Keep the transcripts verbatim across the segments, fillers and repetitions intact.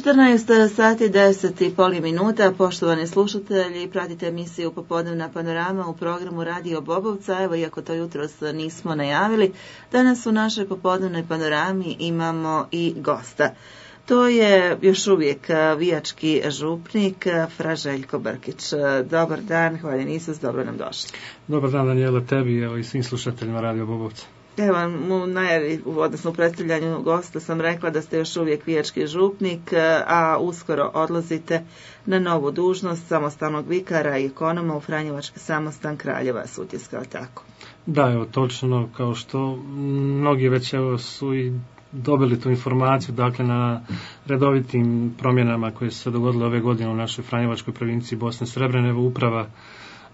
četrnaest sati deset i pol minuta, poštovani slušatelji, pratite emisiju Popodnevna panorama u programu Radio Bobovca. Evo, iako to jutros nismo najavili, danas u našoj popodnevnoj panorami imamo i gosta. To je još uvijek vijački župnik Fra Željko Brkić. Dobar dan, hvaljen Isus, dobro nam došli. Dobar dan, Danijela, tebi evo, i svim slušateljima Radio Bobovca. Evo, u najavi, odnosno u predstavljanju gosta sam rekla da ste još uvijek vijački župnik, a uskoro odlazite na novu dužnost samostalnog vikara i ekonoma u Franjevački samostan Kraljeva Sutjeska, tako? Da, evo, točno, kao što mnogi već evo, su i dobili tu informaciju, dakle na redovitim promjenama koje su se dogodile ove godine u našoj Franjevačkoj provinciji Bosne Srebrene, evo uprava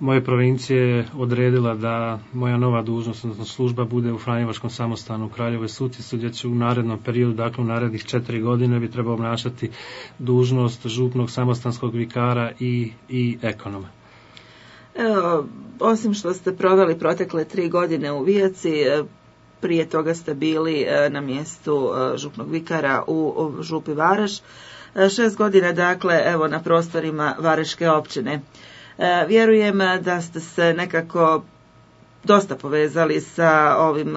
moje provincije odredila da moja nova dužnost, odnosno služba, bude u Franjevačkom samostanu u Kraljevoj Sutjesci, gdje će u narednom periodu, dakle u narednih četiri godine, bi trebao obnašati dužnost župnog samostanskog vikara i, i ekonoma. Evo, osim što ste proveli protekle tri godine u Vijaci, prije toga ste bili na mjestu župnog vikara u župi Vareš. Šest godina, dakle, evo na prostorima Vareške općine. Vjerujem da ste se nekako dosta povezali sa ovim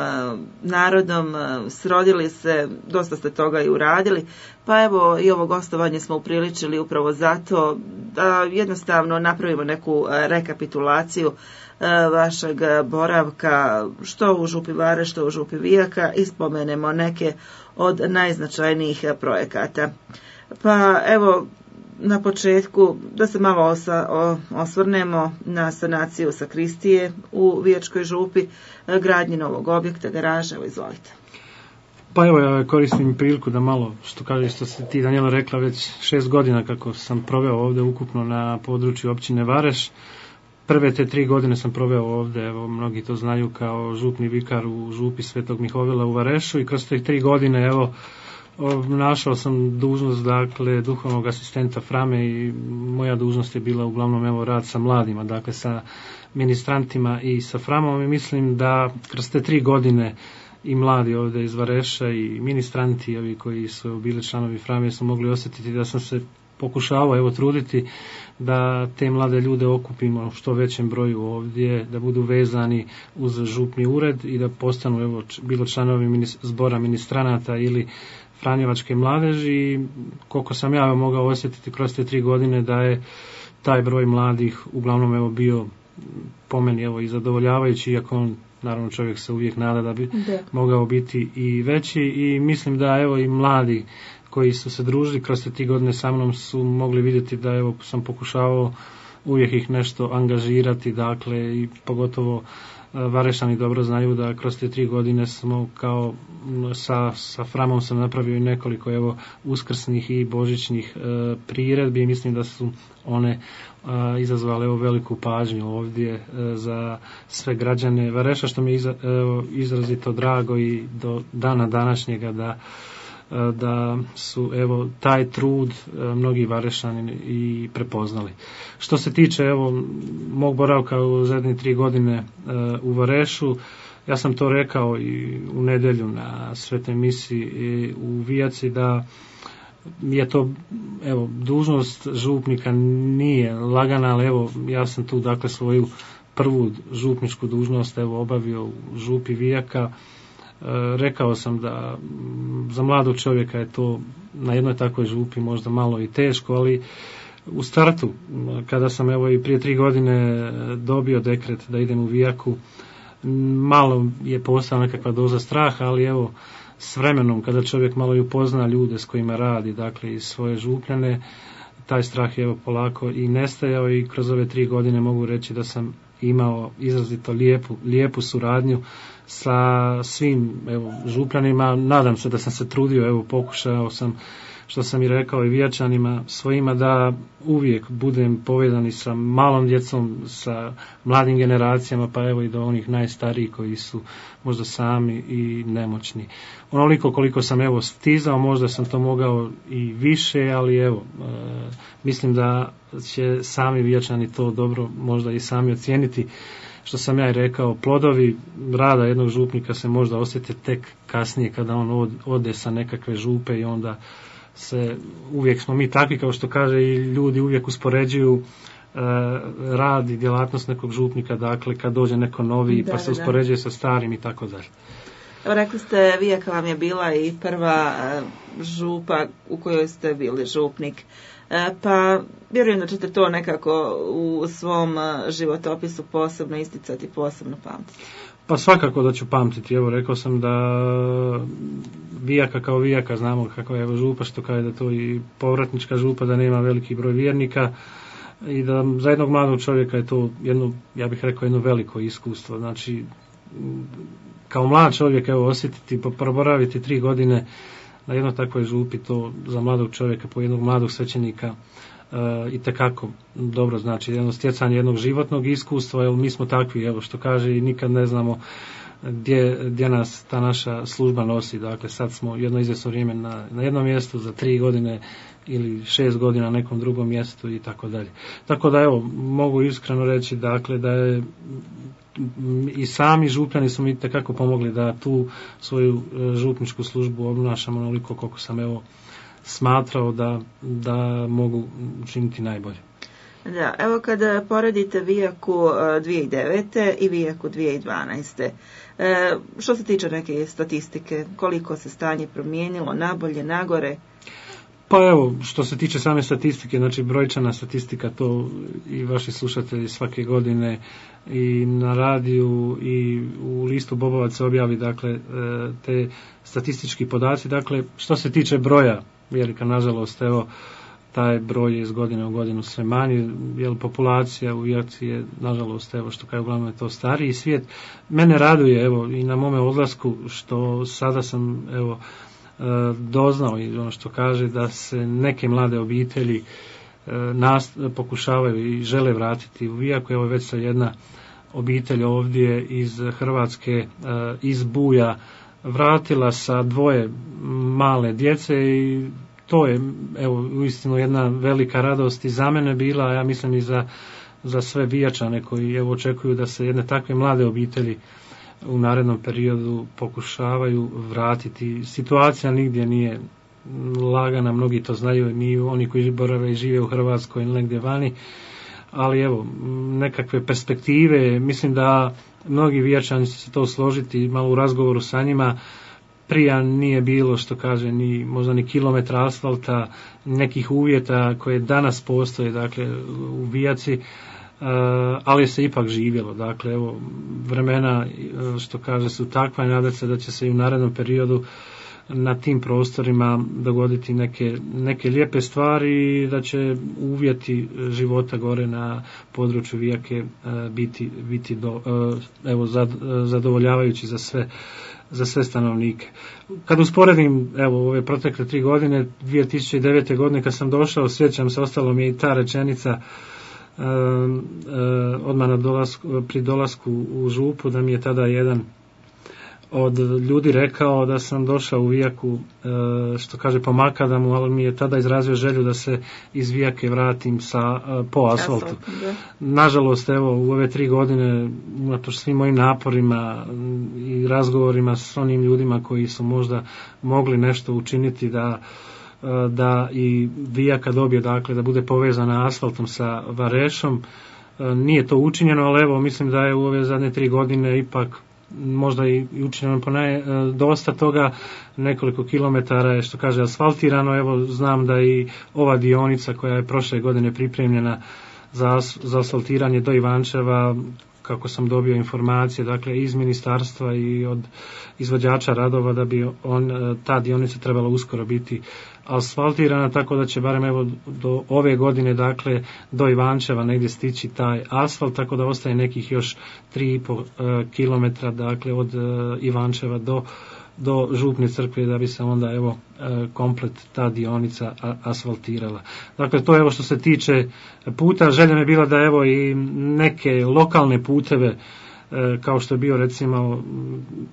narodom, srodili se, dosta ste toga i uradili, pa evo i ovo gostovanje smo upriličili upravo zato da jednostavno napravimo neku rekapitulaciju vašeg boravka, što u župi Vareš, što u župi Vijaka, i spomenemo neke od najznačajnijih projekata. Pa evo, na početku da se malo osa, o, osvrnemo na sanaciju sakristije u Vijačkoj župi, gradnji novog objekta, garaže, evo izvolite. Pa evo, ja koristim priliku da malo, što kaže, što se ti, Danijela, rekla, već šest godina kako sam proveo ovdje ukupno na području općine Vareš. Prve te tri godine sam proveo ovdje, evo, mnogi to znaju, kao župni vikar u župi Svetog Mihovila u Varešu, i kroz te tri godine, evo, našao sam dužnost, dakle, duhovnog asistenta Frame, i moja dužnost je bila uglavnom, evo, rad sa mladima, dakle, sa ministrantima i sa Framom, i mislim da kroz te tri godine i mladi ovdje iz Vareša i ministranti, ovi koji su bili članovi Frame, su mogli osjetiti da sam se pokušavao, evo, truditi da te mlade ljude okupimo u što većem broju ovdje, da budu vezani uz župni ured i da postanu, evo, bilo članovi minis- zbora ministranata ili Franjevačke mladeži. Koliko sam ja mogao osjetiti kroz te tri godine da je taj broj mladih uglavnom, evo, bio po meni, evo, i zadovoljavajući, iako on, naravno, čovjek se uvijek nada da bi da. mogao biti i veći, i mislim da, evo, i mladi koji su se družili kroz te tri godine sa mnom su mogli vidjeti da, evo, sam pokušavao uvijek ih nešto angažirati, dakle, i pogotovo Varešani dobro znaju da kroz te tri godine smo kao sa, sa Framom sam napravio i nekoliko, evo, uskrsnih i božićnih e, priredbi, i mislim da su one e, izazvale, evo, veliku pažnju ovdje e, za sve građane Vareša, što mi je iza, e, izrazito drago i do dana današnjega da da su, evo, taj trud mnogi Varešani i prepoznali. Što se tiče, evo, mog boravka u zadnje tri godine u Varešu, ja sam to rekao i u nedjelju na svetoj misiji u Vijaci, da je to, evo, dužnost župnika nije lagana, ali evo, ja sam tu, dakle, svoju prvu župničku dužnost, evo, obavio u župi Vijaka. Rekao sam da za mladog čovjeka je to na jednoj takvoj župi možda malo i teško, ali u startu, kada sam, evo, i prije tri godine dobio dekret da idem u Vijaku, malo je postala nekakva doza straha, ali evo, s vremenom, kada čovjek malo i upozna ljude s kojima radi, dakle, i svoje župljane, taj strah je, evo, polako i nestajao, i kroz ove tri godine mogu reći da sam imao izrazito lijepu, lijepu suradnju sa svim, evo, župljanima. Nadam se da sam se trudio, evo, pokušao sam, što sam i rekao i Vijačanima svojima, da uvijek budem povezan i sa malom djecom, sa mladim generacijama, pa evo i do onih najstarijih koji su možda sami i nemoćni. Onoliko koliko sam, evo, stizao, možda sam to mogao i više, ali evo, e, mislim da će sami Vijačani to dobro možda i sami ocijeniti. Što sam ja i rekao, plodovi rada jednog župnika se možda osjete tek kasnije, kada on ode sa nekakve župe i onda se, uvijek smo mi takvi, kao što kaže i ljudi uvijek uspoređuju rad i djelatnost nekog župnika, dakle kad dođe neko novi da, pa se uspoređuje da. sa starim i tako dalje. Evo, rekli ste, Vijaka vam je bila i prva župa u kojoj ste bili župnik, pa vjerujem da ćete to nekako u svom životopisu posebno isticati, posebno pamtiti. Pa svakako da ću pamtiti. Evo, rekao sam da Vijaka kao Vijaka, znamo kakva je župa, što kaže da to i povratnička župa, da nema veliki broj vjernika, i da za jednog mladog čovjeka je to jedno, ja bih rekao, jedno veliko iskustvo. Znači, kao mlad čovjek, evo, osjetiti, proboraviti tri godine na jednoj takvoj župi, to za mladog čovjeka, po jednog mladog svećenika, uh, i tekako dobro, znači jedno stjecanje jednog životnog iskustva, jer mi smo takvi, evo, što kaže, i nikad ne znamo gdje, gdje nas ta naša služba nosi. Dakle, sad smo jedno izvjesno vrijeme na, na jednom mjestu, za tri godine ili šest godina na nekom drugom mjestu i tako dalje. Tako da, evo, mogu iskreno reći, dakle, da je i sami župljani su mi tekako pomogli da tu svoju župničku službu obnašamo onoliko koliko sam, evo, smatrao da, da mogu učiniti najbolje. Da, evo kada poredite Vijaku dvije tisuće devete. i Vijaku dvije tisuće dvanaeste. E, što se tiče neke statistike, koliko se stanje promijenilo, nabolje, nagore? Pa evo, što se tiče same statistike, znači brojčana statistika, to i vaši slušatelji svake godine i na radiju i u listu Bobovac se objavi, dakle, te statistički podaci. Dakle, što se tiče broja vjernika, nažalost, evo, taj broj je iz godine u godinu sve manji, jer populacija u Vijaci je, nažalost, evo, što kao uglavnom je to stariji svijet. Mene raduje, evo, i na mome odlasku, što sada sam, evo, doznao i ono što kaže da se neke mlade obitelji nas pokušavaju i žele vratiti u Vijaku. Evo, već se jedna obitelj ovdje iz Hrvatske, iz Buja, vratila sa dvoje male djece i to je, evo, uistinu jedna velika radost i za mene bila, a ja mislim i za, za sve Vijačane koji, evo, očekuju da se jedne takve mlade obitelji u narednom periodu pokušavaju vratiti. Situacija nigdje nije lagana, mnogi to znaju, ni oni koji borave i žive u Hrvatskoj ili negdje vani, ali evo, nekakve perspektive, mislim da mnogi Vijačani će se to složiti, malo u razgovoru sa njima, prije nije bilo, što kaže, ni možda ni kilometra asfalta, nekih uvjeta koje danas postoje, dakle, u Vijaci, Uh, ali se ipak živjelo. Dakle, evo, vremena, što kaže, su takva i nadam se da će se i u narednom periodu na tim prostorima dogoditi neke, neke lijepe stvari i da će uvjeti života gore na području Vijake uh, biti, biti do, uh, evo, zad, uh, zadovoljavajući za sve, za sve stanovnike. Kad usporedim, evo, ove protekle tri godine, dvije tisuće devete. godine kad sam došao, sjećam se, ostalo mi je i ta rečenica Uh, uh, odmah na dolasku, pri dolasku u župu, da mi je tada jedan od ljudi rekao da sam došao u Vijaku, uh, što kaže, po makadamu, ali mi je tada izrazio želju da se iz Vijake vratim sa, uh, po asfaltu. Asfalt, nažalost, evo, u ove tri godine, unatoč svim mojim naporima i razgovorima s onim ljudima koji su možda mogli nešto učiniti da da i Vijaka dobije, dakle, da bude povezana asfaltom sa Varešom. Nije to učinjeno, ali evo, mislim da je u ove zadnje tri godine ipak možda i učinjeno ponaj dosta toga, nekoliko kilometara je, što kaže, asfaltirano. Evo, znam da i ova dionica koja je prošle godine pripremljena za, za asfaltiranje do Ivančeva, kako sam dobio informacije, dakle, iz ministarstva i od izvođača radova, da bi on, ta dionica trebala uskoro biti asfaltirana, tako da će barem, evo, do ove godine, dakle, do Ivančeva negdje stići taj asfalt, tako da ostaje nekih još tri i pol kilometra, dakle, od Ivančeva do do Župne crkve, da bi se onda, evo, komplet ta dionica asfaltirala. Dakle, to je, evo, što se tiče puta. Želja mi je bila da, evo, i neke lokalne puteve, kao što je bio, recimo,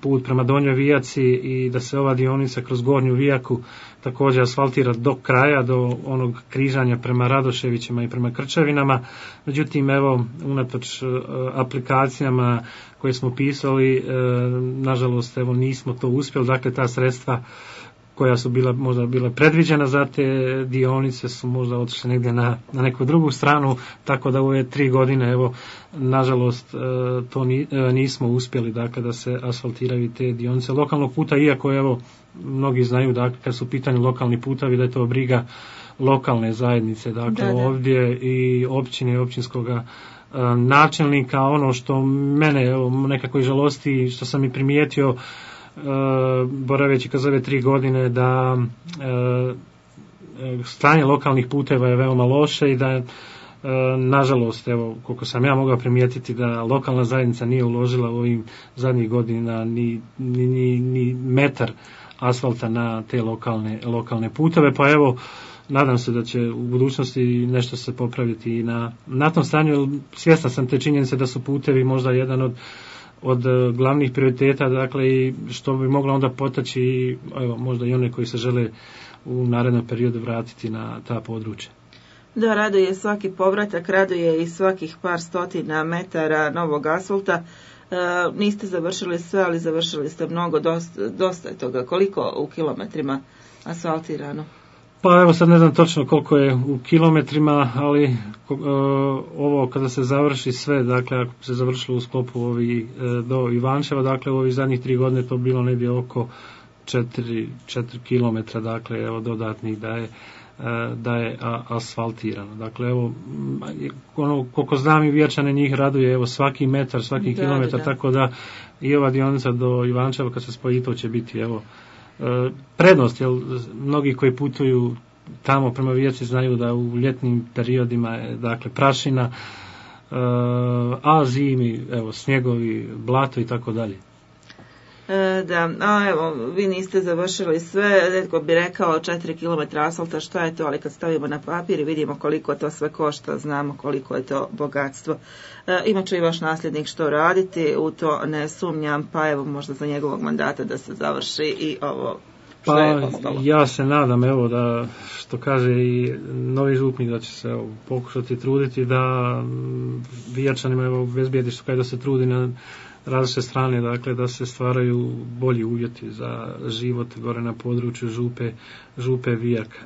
put prema Donjoj Vijaci, i da se ova dionica kroz Gornju Vijaku također asfaltira do kraja, do onog križanja prema Radoševićima i prema Krčevinama. Međutim, evo, unatoč aplikacijama koje smo pisali, nažalost, evo, nismo to uspjeli. Dakle, ta sredstva koja su bila možda bila predviđena za te dionice su možda otišle negdje na, na neku drugu stranu, tako da u ove tri godine, evo, nažalost, to nismo uspjeli, dakle, da se asfaltiraju te dionice lokalnog puta, iako, evo, mnogi znaju, dakle, kad su u pitanju lokalni putovi, da je to briga lokalne zajednice, dakle, da, da. Ovdje i općine i općinskoga načelnika. Ono što mene, evo, nekako i žalosti, što sam i primijetio, Uh, boraveći kroz ove tri godine, da uh, stanje lokalnih puteva je veoma loše i da uh, nažalost, evo, koliko sam ja mogao primijetiti, da lokalna zajednica nije uložila u ovim zadnjih godina ni, ni, ni, ni metar asfalta na te lokalne, lokalne puteve, pa evo, nadam se da će u budućnosti nešto se popraviti i na, na tom stanju. Svjestan sam te činjenice da su putevi možda jedan od od glavnih prioriteta, dakle, i što bi moglo onda potaći, evo, možda i one koji se žele u narednom periodu vratiti na ta područja. Da, raduje svaki povratak, raduje i svakih par stotina metara novog asfalta. E, niste završili sve, ali završili ste mnogo, dosta, dosta je toga. Koliko u kilometrima asfaltirano? Pa evo sad ne znam točno koliko je u kilometrima, ali uh, ovo kada se završi sve, dakle ako se završilo u sklopu ovi, uh, do Ivančeva, dakle u ovih zadnjih tri godine to bilo negdje oko četiri kilometra, dakle evo dodatnih da je, uh, da je a, asfaltirano. Dakle evo, ono, koliko znam i Vječane njih raduje, evo svaki metar, svaki da, kilometar, da. Tako da i ova dionica do Ivančeva kad se spoji to će biti evo prednost, jer mnogi koji putuju tamo prema Vijaci znaju da u ljetnim periodima je, dakle, prašina, a zimi, evo, snjegovi, blato i tako dalje. Da, a evo, vi niste završili sve, netko bi rekao četiri kilometra asfalta, šta je to, ali kad stavimo na papir i vidimo koliko to sve košta, znamo koliko je to bogatstvo. E, imat će i vaš nasljednik što raditi, u to ne sumnjam, pa evo možda za njegovog mandata da se završi i ovo što pa, je ostalo. Ja se nadam, evo, da, što kaže i novi župnik, da će se evo, pokušati truditi da Vijačanima, evo, bezbjedi što kaj da se trudi na različite strane, dakle, da se stvaraju bolji uvjeti za život gore na području župe, župe Vijaka.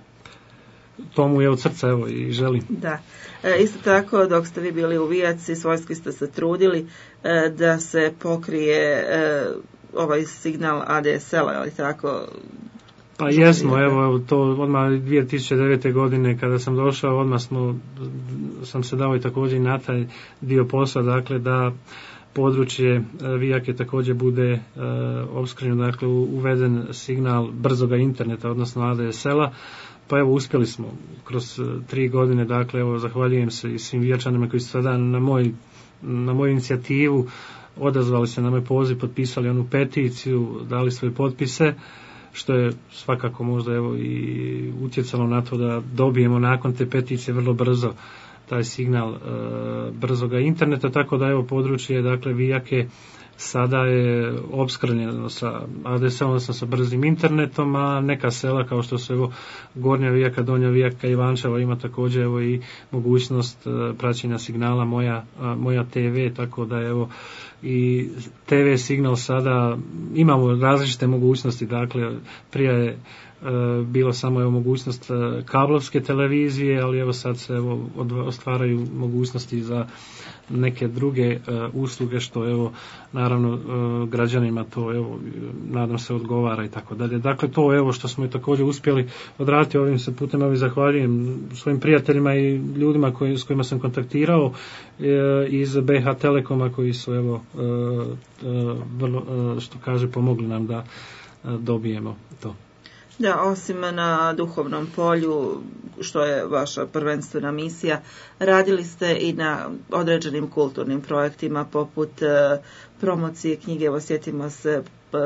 Tomu je od srca, evo, i želim. Da. E, isto tako, dok ste vi bili u Vijaci, svojski ste se trudili e, da se pokrije e, ovaj signal A D S L-a, ali tako? Pa jesmo, evo, evo, to odmah dvije tisuće devete. godine kada sam došao, odmah smo, sam se dao i također i na taj dio posla, dakle, da područje Vijake također bude e, opskrbljeno, dakle uveden signal brzoga interneta, odnosno A D S L-a, pa evo uspjeli smo kroz tri godine, dakle evo zahvaljujem se i svim Vijačanima koji su sada na, moj, na moju inicijativu odazvali se na moj poziv, potpisali onu peticiju, dali svoje potpise, što je svakako možda evo i utjecalo na to da dobijemo nakon te peticije vrlo brzo taj signal e, brzoga interneta, tako da evo područje, dakle Vijake sada je opskrbljeno sa A D S L-om, odnosno sa brzim internetom, a neka sela kao što su evo Gornja Vijaka, Donja Vijaka i Ivančeva ima također evo i mogućnost e, praćenja signala moja, a, moja T V, tako da evo i T V signal sada imamo različite mogućnosti, dakle prije je Uh, bilo samo evo mogućnost uh, kablovske televizije, ali evo sad se evo ostvaraju mogućnosti za neke druge uh, usluge, što evo naravno uh, građanima to evo nadam se odgovara i tako dalje. Dakle to evo što smo i također uspjeli odraditi, ovim se putem evo zahvaljujem svojim prijateljima i ljudima koji, s kojima sam kontaktirao uh, iz B H Telekoma koji su evo uh, uh, vrlo uh, što kaže pomogli nam da uh, dobijemo to. Da, osim na duhovnom polju, što je vaša prvenstvena misija, radili ste i na određenim kulturnim projektima poput e, promocije knjige, evo sjetimo se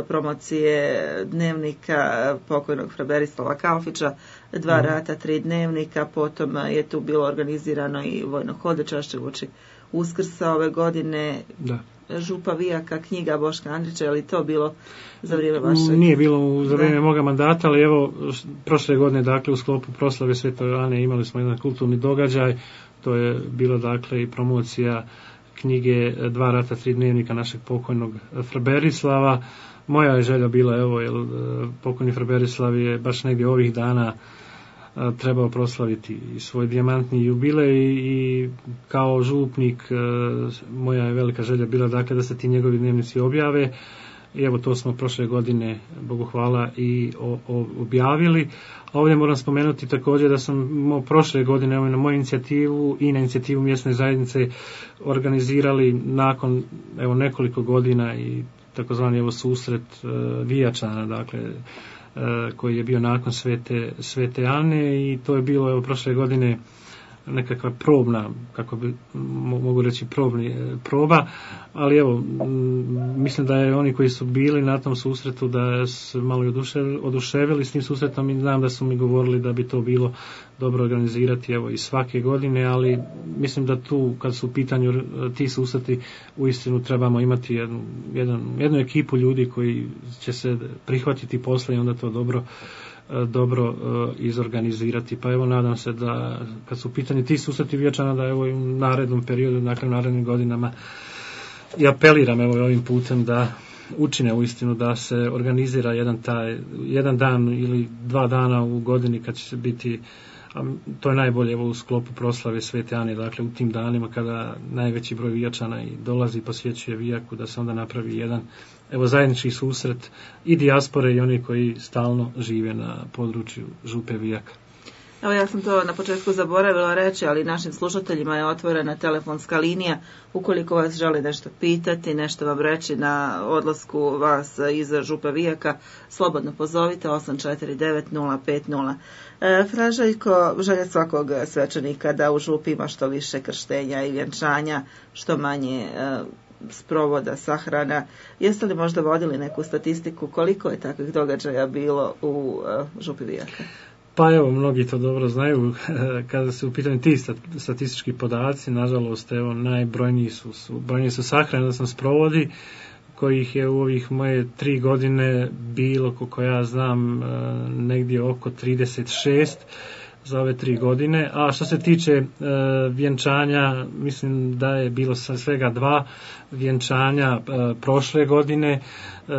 promocije dnevnika pokojnog fra Berislava Kalfića, dva mm. rata, tri dnevnika, potom je tu bilo organizirano i vojno hodočašće uoči Uskrsa ove godine. Da. Župa Vijaka, knjiga Boška Andrića, je li to bilo za vrijeme vašeg? Nije bilo za vrijeme moga mandata, ali evo prošle godine, dakle u sklopu proslave Svetoj Ane imali smo jedan kulturni događaj, to je bilo dakle i promocija knjige Dva rata, tri dnevnika našeg pokojnog fra Berislava. moja je želja bila, evo, jer pokojni fra Berislav je baš negdje ovih dana trebao proslaviti i svoj dijamantni jubilej i kao župnik moja je velika želja bila, dakle, da se ti njegovi dnevnici objave. I evo, to smo prošle godine, Bogu hvala, i o, o, objavili. A ovdje moram spomenuti također da sam mo, prošle godine, evo, na moju inicijativu i na inicijativu mjesne zajednice organizirali nakon, evo, nekoliko godina i takozvani, evo, susret uh, Vijačana, dakle, uh, koji je bio nakon Svete, Svete Ane, i to je bilo, evo, prošle godine nekakva probna, kako bi mogu reći probni, proba, ali evo, mislim da je oni koji su bili na tom susretu da su malo oduševili s tim susretom i znam da su mi govorili da bi to bilo dobro organizirati, evo, i svake godine, ali mislim da tu, kad su u pitanju ti susreti, uistinu trebamo imati jednu, jedan, jednu ekipu ljudi koji će se prihvatiti posla i onda to dobro dobro uh, izorganizirati. Pa evo, nadam se da kad su u pitanju ti susreti Vijačana, da evo i u narednom periodu, dakle u narednim godinama, i apeliram, evo, ovim putem da učine uistinu da se organizira jedan taj jedan dan ili dva dana u godini kad će se biti, a to je najbolje, evo, u sklopu proslave Svete Ane, dakle u tim danima kada najveći broj Vijačana i dolazi i posjećuje Vijaku, da se onda napravi jedan, evo, zajednički susret i dijaspore i oni koji stalno žive na području Župe Vijaka. Evo, ja sam to na početku zaboravila reći, ali našim slušateljima je otvorena telefonska linija. Ukoliko vas želi nešto pitati, nešto vam reći na odlasku vas iz Župe Vijaka, slobodno pozovite osam četiri devet nula pet nula. E, Fra Željko, želja svakog svećenika da u Župi ima što više krštenja i vjenčanja, što manje e, sprovoda, sahrana. Jeste li možda vodili neku statistiku koliko je takvih događaja bilo u e, Župi Vijaka? Pa evo, mnogi to dobro znaju, kada se u pitanju ti statistički podaci, nažalost, evo, najbrojniji su, su, brojniji su sahrane, da sam sprovodi, kojih je u ovih moje tri godine bilo, koliko ja znam, negdje oko trideset šest za ove tri godine, a što se tiče e, vjenčanja, mislim da je bilo svega dva vjenčanja e, prošle godine, e,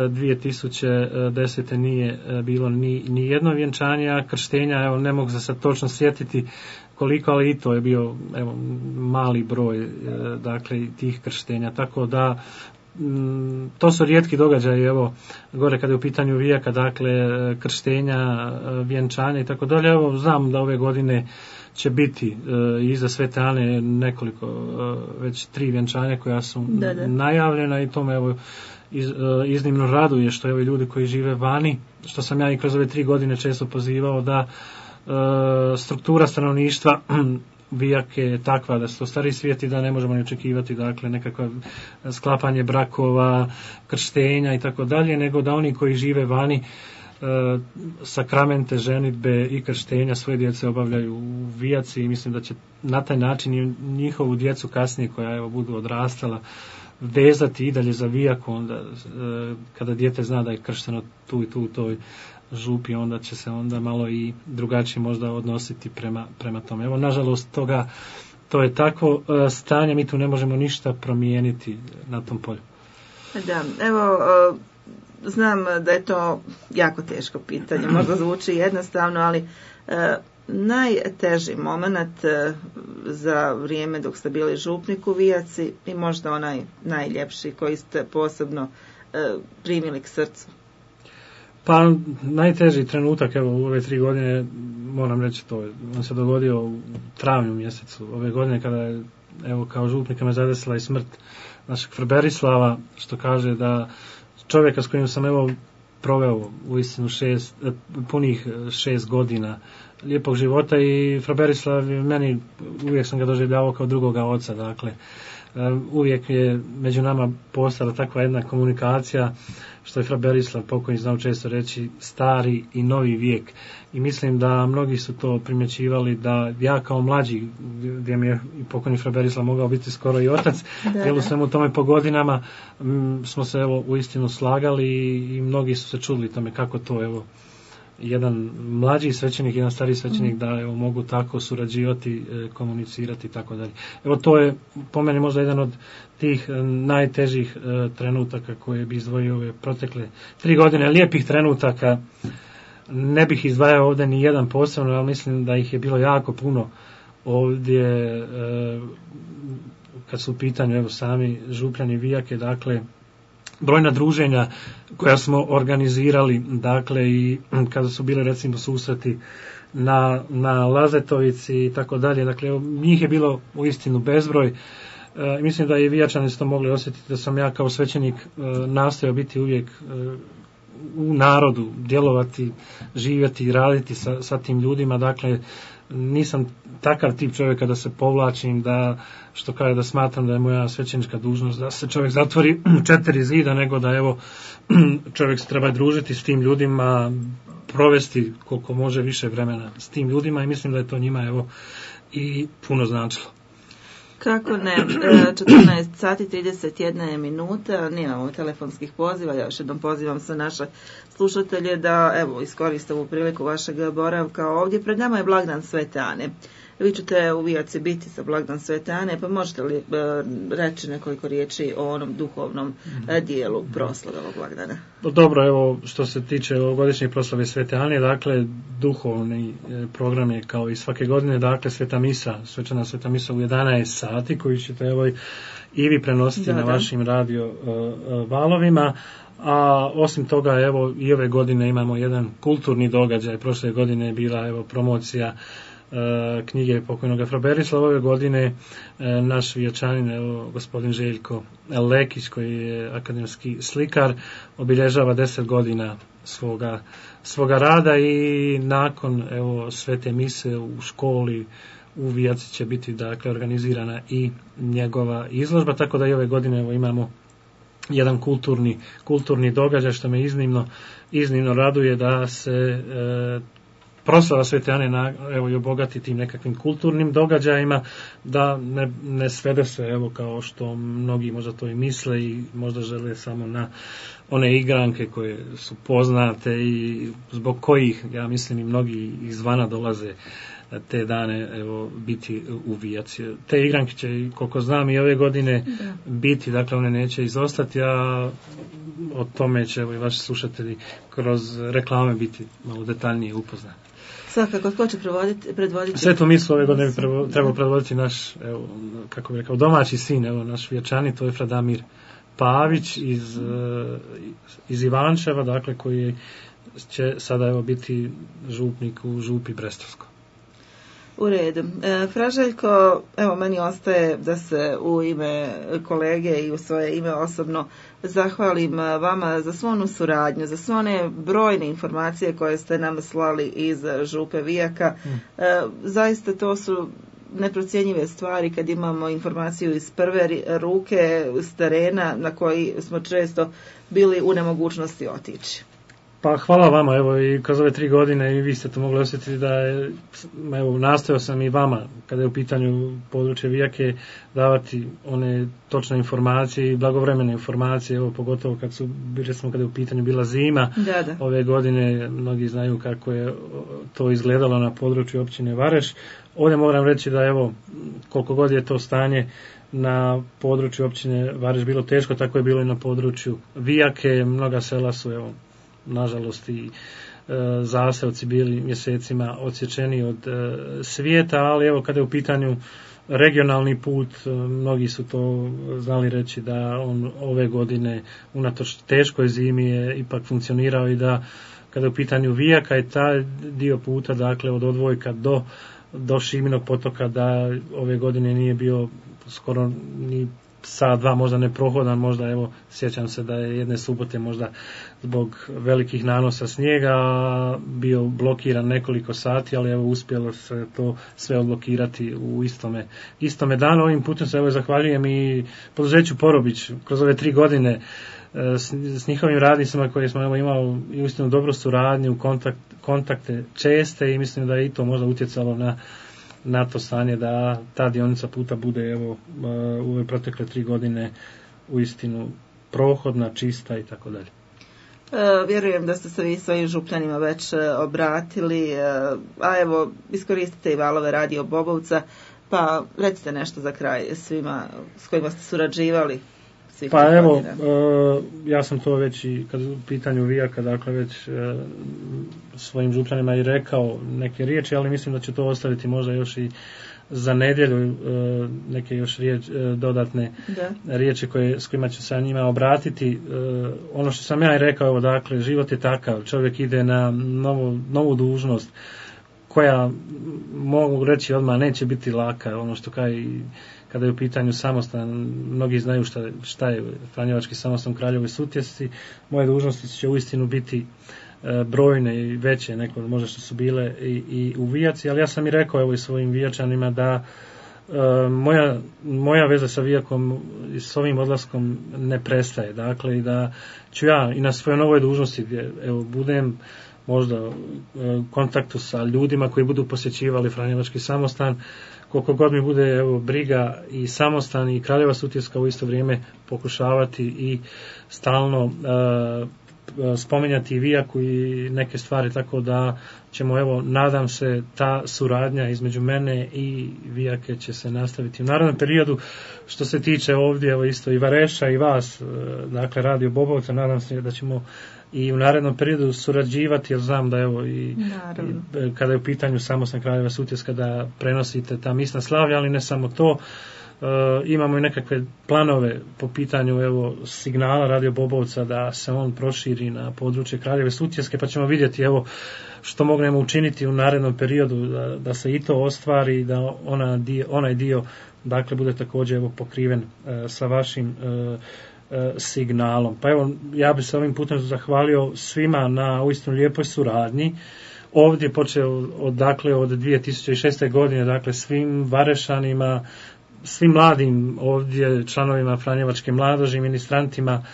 dvije tisuće desete nije e, bilo ni, ni jedno vjenčanje, a krštenja, evo, ne mogu se sad točno sjetiti koliko, ali i to je bio, evo, mali broj e, dakle tih krštenja, tako da to su rijetki događaji, evo, gore kada je u pitanju Vijaka, dakle, krštenja, vjenčanja i tako dalje. Evo, znam da ove godine će biti e, iza Svete Ane nekoliko, e, već tri vjenčanja koja su da, da. najavljena, i to me, evo, iz, e, iznimno raduje što je ovi ljudi koji žive vani, što sam ja i kroz ove tri godine često pozivao da e, struktura stanovništva Vijake je takva da su to stari svijet i da ne možemo ni očekivati, dakle, nekakva sklapanje brakova, krštenja i tako dalje, nego da oni koji žive vani e, sakramente, ženidbe i krštenja svoje djece obavljaju u Vijaci, i mislim da će na taj način i njihovu djecu kasnije, koja, evo, budu odrastala, vezati i dalje za Vijaku, onda e, kada dijete zna da je kršteno tu i tu u toj Župi, onda će se onda malo i drugačije možda odnositi prema, prema tome. Evo, nažalost, toga, to je tako e, stanje, mi tu ne možemo ništa promijeniti na tom polju. Da, evo, e, znam da je to jako teško pitanje, možda zvuči jednostavno, ali e, najteži moment e, za vrijeme dok ste bili župnik u Vijaci i možda onaj najljepši koji ste posebno e, primili k srcu. Pa najteži trenutak, evo, u ove tri godine, moram reći, to je, on se dogodio u travnju mjesecu ove godine, kada je, evo, kao župnika me zadesila i smrt našeg fra Berislava, što kaže da čovjeka s kojim sam, evo, proveo uistinu šest, punih šest godina lijepog života, i fra Berislav meni, uvijek sam ga doživljavao kao drugoga oca, dakle, uvijek je među nama postala takva jedna komunikacija, što je fra Berislav pokojni znao često reći, stari i novi vijek, i mislim da mnogi su to primjećivali, da ja kao mlađi, gdje mi je i pokojni fra Berislav mogao biti skoro i otac, jer u svemu tome po godinama m, smo se, evo, uistinu slagali, i, i mnogi su se čudili tome kako to, evo, jedan mlađi svećenik, jedan stariji svećenik, mm. da evo, mogu tako surađivati, komunicirati i tako dalje. Evo to je po meni možda jedan od tih najtežih trenutaka koje bi izdvojio ove protekle tri godine, lijepih trenutaka. Ne bih izdvajao ovdje ni jedan posebno, ali mislim da ih je bilo jako puno ovdje kad su u pitanju evo, sami župljani Vijake, dakle brojna druženja koja smo organizirali, dakle i kada su bile recimo susreti na, na Lazetovici i tako dalje, dakle njih je bilo uistinu bezbroj. E, mislim da i Vijačani su to mogli osjetiti, da sam ja kao svećenik e, nastojao biti uvijek e, u narodu, djelovati, živjeti i raditi sa, sa tim ljudima, dakle nisam takav tip čovjeka da se povlačim, da što kaže da smatram da je moja svećenička dužnost da se čovjek zatvori u četiri zida, nego da evo čovjek se treba družiti s tim ljudima, provesti koliko može više vremena s tim ljudima i mislim da je to njima evo i puno značilo. Kako ne, četrnaest sati trideset jedna minuta, nemamo telefonskih poziva, ja još jednom pozivam se naše slušatelje da evo iskoriste ovu priliku vašeg boravka ovdje. Pred nama je blagdan Svete Ane. Vi ćete u Vijaci biti za blagdan Svete Ane, pa možete li e, reći nekoliko riječi o onom duhovnom e, dijelu proslave ovog blagdana? Dobro, evo što se tiče ovogodišnje proslave Svete Ane, dakle duhovni e, program je kao i svake godine, dakle Sveta Misa, svečana Sveta Misa u jedanaest sati koju ćete evo i vi prenositi da, na da. vašim radio e, e, valovima. A osim toga evo i ove godine imamo jedan kulturni događaj. Prošle godine je bila evo promocija e, knjige pokojnog Fra Berislava. Ove godine e, naš Vijačanin, evo gospodin Željko Lekić koji je akademski slikar, obilježava deset godina svoga, svoga rada i nakon evo svete mise u školi u Vijaci će biti dakle organizirana i njegova izložba, tako da i ove godine evo imamo jedan kulturni, kulturni događaj što me iznimno, iznimno raduje da se e, proslava Svete Ane na, evo, i obogati tim nekakvim kulturnim događajima, da ne, ne svede se evo kao što mnogi možda to i misle i možda žele samo na one igranke koje su poznate i zbog kojih ja mislim i mnogi izvana dolaze te dane evo biti u Vijaci. Te igranke će, koliko znam, i ove godine da. biti, dakle one neće izostati, a o tome će evo i vaši slušatelji kroz reklame biti malo detaljnije upoznati. Svakako, ko će predvoditi? Svetu misu ove godine bi trebao predvoditi naš, evo, kako bi rekao, domaći sin, evo, naš Vijačanin, to je Fra Damir Pavić iz, iz Ivančeva, dakle koji će sada evo biti župnik u župi Brestovskoj. U redu. E, Fra Željko, evo meni ostaje da se u ime kolege i u svoje ime osobno zahvalim vama za svu onu suradnju, za sve one brojne informacije koje ste nam slali iz župe Vijaka. E, zaista to su neprocjenjive stvari kad imamo informaciju iz prve ruke, s terena na koji smo često bili u nemogućnosti otići. Pa hvala vama, evo i kroz ove tri godine i vi ste to mogli osjetiti da je, evo nastojao sam i vama kada je u pitanju područje Vijake davati one točne informacije i blagovremene informacije, evo pogotovo kad su, recimo kada je u pitanju bila zima, da, da. ove godine mnogi znaju kako je to izgledalo na području općine Vareš. Ovdje moram reći da evo koliko god je to stanje na području općine Vareš bilo teško, tako je bilo i na području Vijake, mnoga sela su evo nažalost i e, zaseoci bili mjesecima odsječeni od e, svijeta, ali evo kada je u pitanju regionalni put, e, mnogi su to znali reći da on ove godine unatoč teškoj zimi je ipak funkcionirao i da kada je u pitanju Vijaka i taj dio puta, dakle od Odvojka do, do Šiminog potoka, da ove godine nije bio skoro ni sat, dva, možda neprohodan, možda evo sjećam se da je jedne subote možda zbog velikih nanosa snijega bio blokiran nekoliko sati, ali evo uspjelo se to sve odblokirati u istome, istome danu. Ovim putem se evo zahvaljujem i poduzeću Porobić kroz ove tri godine s, s njihovim radnicima koje smo evo imali i uistinu dobru suradnju, kontakt, kontakte česte i mislim da je i to možda utjecalo na na to stanje da ta dionica puta bude evo u ove protekle tri godine uistinu prohodna, čista i tako dalje. E, vjerujem da ste se vi svojim župljanima već e, obratili, e, a evo iskoristite i valove Radio Bobovca, pa recite nešto za kraj svima s kojima ste surađivali. Pa evo, uh, ja sam to već i kad u pitanju Vijaka, dakle već uh, svojim župljanima i rekao neke riječi, ali mislim da će to ostaviti možda još i za nedjelju, uh, neke još riječ, uh, dodatne da. riječi koje, s kojima ću se njima obratiti. Uh, ono što sam ja i rekao, evo, dakle, život je takav, čovjek ide na novu, novu dužnost koja, mogu reći odmah, neće biti laka, ono što kao i kada je u pitanju samostan, mnogi znaju šta, šta je Franjevački samostan u Kraljevoj Sutjesci. Moje dužnosti će uistinu biti e, brojne i veće, neko možda što su bile i, i u Vijaci, ali ja sam i rekao evo i svojim Vijačanima da e, moja, moja veza sa Vijakom i s ovim odlaskom ne prestaje. Dakle, i da ću ja i na svojoj novoj dužnosti gdje evo, budem možda u kontaktu sa ljudima koji budu posjećivali Franjevački samostan, koliko god mi bude evo, briga i samostan i Kraljeva Sutjeska u isto vrijeme pokušavati i stalno uh, spominjati i Vijaku i neke stvari, tako da ćemo, evo, nadam se, ta suradnja između mene i Vijake će se nastaviti u narednom periodu. Što se tiče ovdje, evo, isto i Vareša i vas, uh, dakle Radio Bobovca, nadam se da ćemo i u narednom periodu surađivati, jer znam da evo i, i kada je u pitanju samostan Kraljeva Sutjeska da prenosite ta misna slavlja, ali ne samo to, e, imamo i nekakve planove po pitanju evo signala Radio Bobovca da se on proširi na područje Kraljeve Sutjeske, pa ćemo vidjeti evo što mognemo učiniti u narednom periodu da, da se i to ostvari, da ona dio, onaj dio dakle bude također evo pokriven e, sa vašim e, signalom. Pa evo, ja bih se ovim putem zahvalio svima na uistinu lijepoj suradnji. Ovdje počeo od, dakle, od dvije tisuće šeste. godine, dakle, svim Varešanima, svim mladim ovdje članovima Franjevačke mladoži, ministrantima,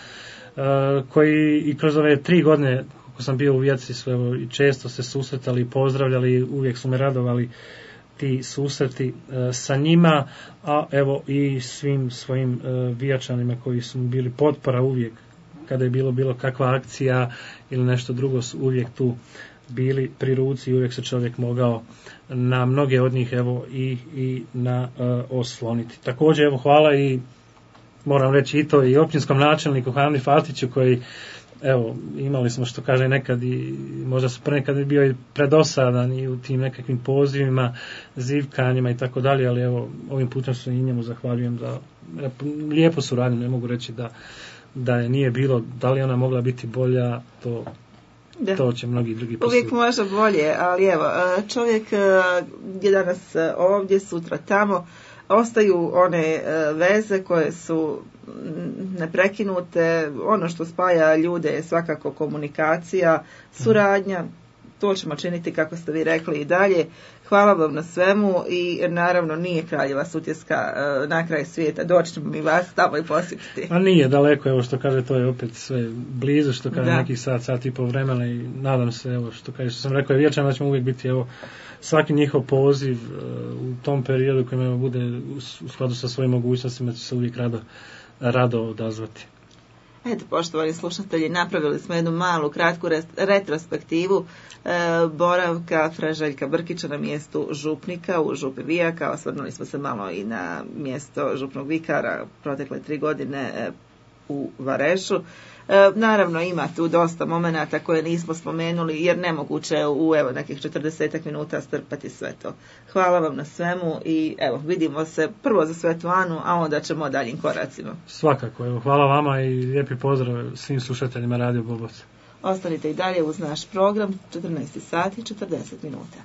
uh, koji i kroz ove tri godine, kako sam bio u Vijaci, su evo, i često se susretali, pozdravljali, uvijek su me radovali ti susreti e, sa njima, a evo i svim svojim e, Vijačanima koji su bili potpora uvijek kada je bilo bilo kakva akcija ili nešto drugo, su uvijek tu bili pri ruci i uvijek se čovjek mogao na mnoge od njih evo i, i na e, osloniti. Također evo hvala i moram reći i to i općinskom načelniku Hani Fatiću koji evo, imali smo što kaže nekad i možda su prenekad bio i predosadan i u tim nekakvim pozivima, zivkanjima i tako dalje, ali evo, ovim putem se i njemu zahvaljujem za lijepu suradnju, ne mogu reći da, da je nije bilo, da li ona mogla biti bolja, to, da. To će mnogi drugi posuditi. Uvijek može bolje, ali evo, čovjek je danas ovdje, sutra tamo, ostaju one veze koje su neprekinute, ono što spaja ljude je svakako komunikacija, suradnja, to ćemo činiti kako ste vi rekli i dalje. Hvala vam na svemu i naravno nije Kraljeva Sutjeska na kraj svijeta, doći ćemo mi vas tamo i posjetiti. A nije daleko, evo što kaže, to je opet sve blizu, što kaže neki sat, sat i pol vremena i nadam se, evo što kaže, što sam rekao, je vječan da ćemo uvijek biti, evo, svaki njihov poziv u tom periodu koji bude u skladu sa svojim mogućnostima će se uvijek rado rado odazvati. Eto, poštovani slušatelji, napravili smo jednu malu, kratku retrospektivu e, boravka fra Željka Brkića na mjestu župnika u župi Vijaka. Osvrnuli smo se malo i na mjesto župnog vikara protekle tri godine e, u Varešu. E, naravno, ima tu dosta momenata koje nismo spomenuli, jer nemoguće je u evo nekih četrdesetak minuta strpati sve to. Hvala vam na svemu i evo, vidimo se prvo za Svetu Anu, a onda ćemo daljim koracima. Svakako, evo, hvala vama i lijepi pozdrav svim slušateljima Radio Bobovca. Ostanite i dalje uz naš program, četrnaest sati i četrdeset minuta.